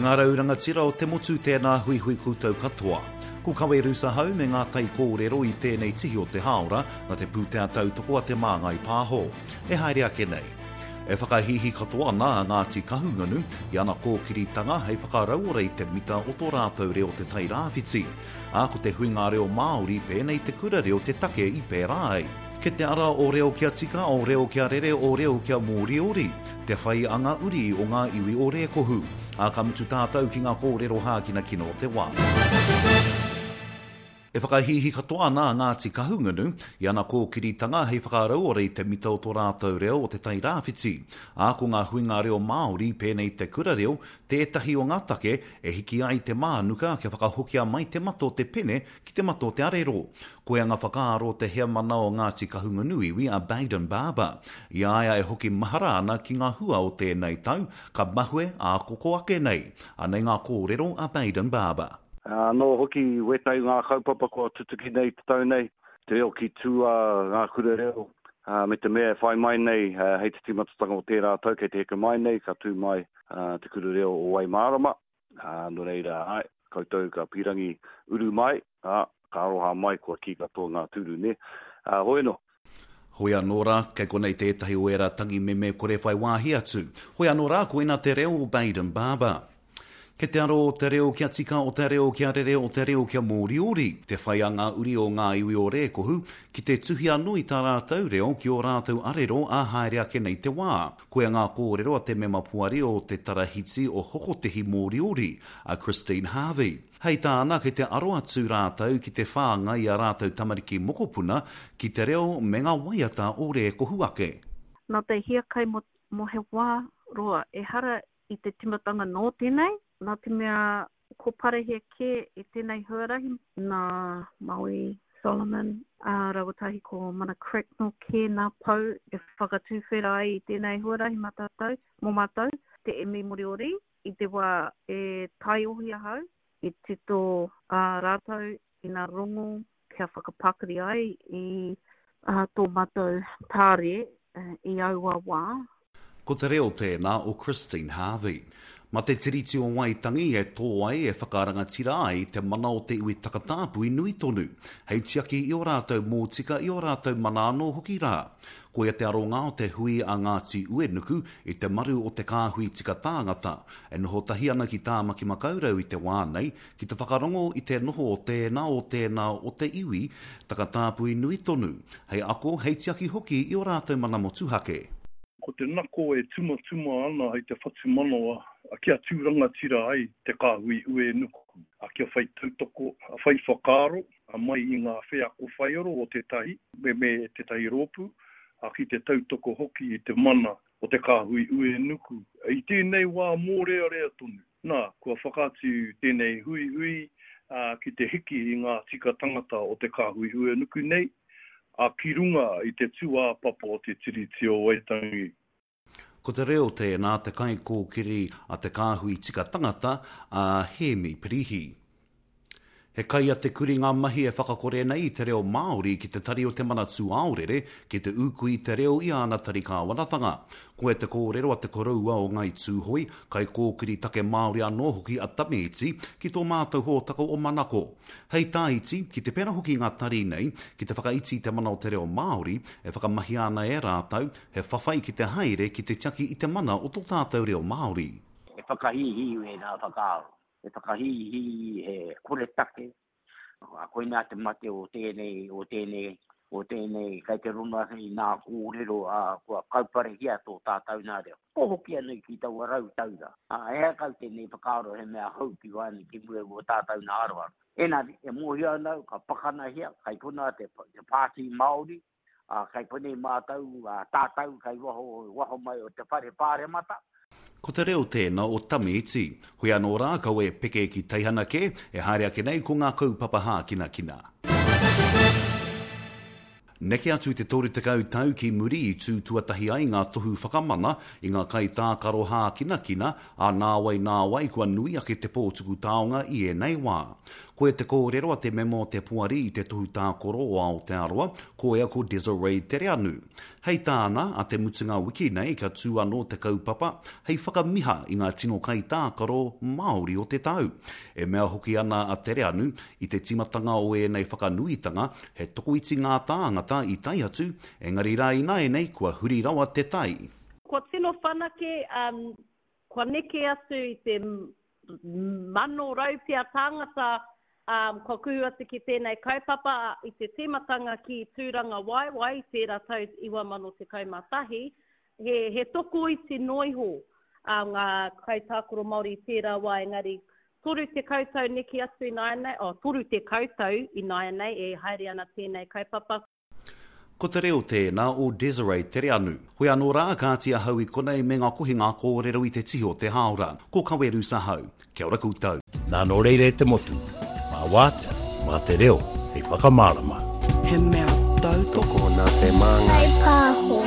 ngā rau rangatira o te motu tēnā huihui koutou katoa. Ko Kawe Rusa hau me ngā tai kōrero i tēnei tihi o te hāora na te pūtea tautoko a Te Māngai Pāho. E haere ake nei. E whakahīhī katoa ana a Ngāti Kahungunu i ana kōkiritanga hei whakarauora i te mita o tō rātou reo Te Tai Rāwhiti. Ā, ko te huinga reo Māori pēnei te kura reo te take i pērā ai. Ke te ara o reo kia tika, o reo kia rere, o reo kia mōriori, te whai a ngā uri o ngā iwi o Rēkohu. Ā, ka mutu tātou ki ngā kōrero hākinakina o te wā. E whakahīhī katoa ana a Ngāti Kahungunu i ana kōkiritanga hei whakarauora i te mita o tō rātou reo o Te Tai Rāwhiti. Ā, ko ngā huinga reo Māori pēnei te kura reo tētahi o ngā take e hiki ai te mānuka kia whakahokia mai te mata o te pene ki te mata o te arero. Koia ngā whakaaro o te heamana o Ngāti Kahungunu iwi a Bayden Barber. I a ia e hoki mahara ana ki ngā hua o tēnei tau, ka mahue ā koko ake nei. Anei ngā kōrero a Bayden Barber. Anō hoki wētahi o ngā kaupapa kua tutuki nei te tau nei, te reo ki tua, ngā kura reo, me te mea e whai mai nei hei te tīmatatanga o tērā tau kei te heke mai nei ka tū mai te kura reo o Waimārama, nō reira, āe, koutou ka pīrangi uru mai, ā, ka aroha mai kua kī katoa ngā tūru, nē. Hoi anō. Hoi anō rā, kei konei tētahi o ērā tangi meme kore whai wāhi atu. Hoi anō rā, koina te reo o Bayden Barber. Kei te aro o te reo kia tika, o te reo kia rere, o te reo kia mōriori, te whai a ngā uri o ngā iwi o Rēkohu ki te tuhi anō i tā rātou reo ki ō rātou arero ā haere ake nei te wā. Koia ngā kōrero a te mema poari o te Tarahiti o Hokotehi Mōriori, a Christine Harvey. Hei tāna, kei te aro atu rātou ki te whāngai i ā rātou tamariki mokopuna ki te reo me ngā waiata o Rēkohu ake. Nā te hiakai mō he wā roa, ehara i te timatanga nō tēnei, nā te mea ko parehia kē i tēnei huarahi nā Maui Solomon ā rāua tahi ko Mana Cracknell kē nā pou e whakatuwhera ai i tēnei huarahi mā tātou, mō mātou, te emi Moriori i te wā e taiohi ahau, i tito ā rātou i nā rongo kia whakapakari ai i tō mātou tāre i aua wā. Ko te reo tēnā o Christine Harvey. Ma te Tiriti o Waitangi e tō ai, e whakarangatira ai te mana o te iwi takatāpui nui tonu, hei tiaki i ō rātou mōtika, i ō rātou mana anō hoki rā. Koia te aronga o te hui a Ngāti Uenuku i te maru o te kāhui tika tāngata, e noho tahi ana ki Tāmaki Makaurau i te wā nei, ki te whakarongo i te noho o tēnā o tēnā o te iwi takatāpui nui tonu, hei ako, hei tiaki hoki i ō rātou mana motuhake. Ko te nako e tumatuma ana hei te whatumanawa kia tū rangatira ai te kāhui uenuku, kia whai tautoko, whai whakaaro mai i ngā wheako whaiaro o tētahi me tētahi rōpū, ki te tautoko hoki i te mana o te kāhui uenuku i tēnei wā mōrearea tonu. Nā, kua whakaatu tēnei huihui ki te hiki i ngā tika tangata o te kāhui uenuku nei, ā, ki runga i te tūāpapa o te Tiriti o Waitangi. Ko te reo tēnā te kaikōkiri a te kāhui tika tangata, a Hēmi Pirihi. He kai a te kuri ngā mahi e whakakore nei i te reo Māori ki te Tari o te Manatū Aorere ki te ūkui i te reo i āna tari kāwanatanga. Koia te kōrero a te koroua o Ngāi Tūhoe, kaikōkiri take Māori anō hoki a Tame Iti ki tō mātou hōtaka o Manako. Hei tā Iti, ki te pērā hoki ngā tari nei ki te whakaiti i te mana o te reo Māori e whakamahia ana e rātou, he whawhai ki te haere ki te tiaki i te mana o tō tātou reo Māori. He whakahīhī wēnā whakaaro. He whakahīhī, he koretake, ā, koinā te mate o tēnei, o tēnei, o tēnei, kei te rongo ake i ngā kōrero, ā, kua kauparehia tō tātau nā reo. Kua hoki anō ki taua rautaura, ā, ehara kau tēnei whakaaro he mea hou ki waenga ki mua i wō tātau nā aroaro. Engari, e mōhio ana au, ka pakanahia, kei konā te, te Pāti Māori, Ā, kei konei mātou, ā, tātou, kei waho, waho mai o te whare pāremata. Ko te reo tēnā o Tame Iti. Hoi anō rā, kaua e peke ki teihana kē, e haere ake nei ko ngā kaupapa hākinakina. Neke atu i te 30 tau ki muri i tū tuatahi ai ngā tohu whakamana i ngā kaitākaro hākinakina, ā, nāwai nāwai kua nui ake te pō tuku taonga i ēnei wā. Koia te kōrero a te mema o te Poari i te Tohu Tākoro o Aotearoa, koia ko Desiree Tereanu. Hei tāna, a te mutunga wiki nei ka tū anō te kaupapa hei whakamiha i ngā tino kaitākaro Māori o te tau. E mea hoki ana a Tereanu, i te tīmatanga o ēnei whakanuitanga, he tokoiti ngā tāngata i tae atu, engari rā ināianei kua huri rawa te tai. Kua tino whanake, kua neke atu i te 100 pea tāngata kua kuhu atu ki tēnei kaupapa i te tīmatanga ki Tūrangawaewae i tērā tau 2011, he, he tokoiti noa iho ngā kaitākaro Māori i tērā wā engari 30 tau neke atu ināianei, oh, 30 tau ināianei e haere ana tēnei kaupapa. Ko te reo tēnā o Desiree Tereanu. Hoi anō rā, kāti ahau i konei me ngā kohinga kōrero i te tihi o te hāora. Ko Kawerusa hau. Kia ora koutou. Nā nō reira e te motu, mā wātea, mā te reo hei whakamārama. He mea tautoko. Tokona te māngai. Kaipāho.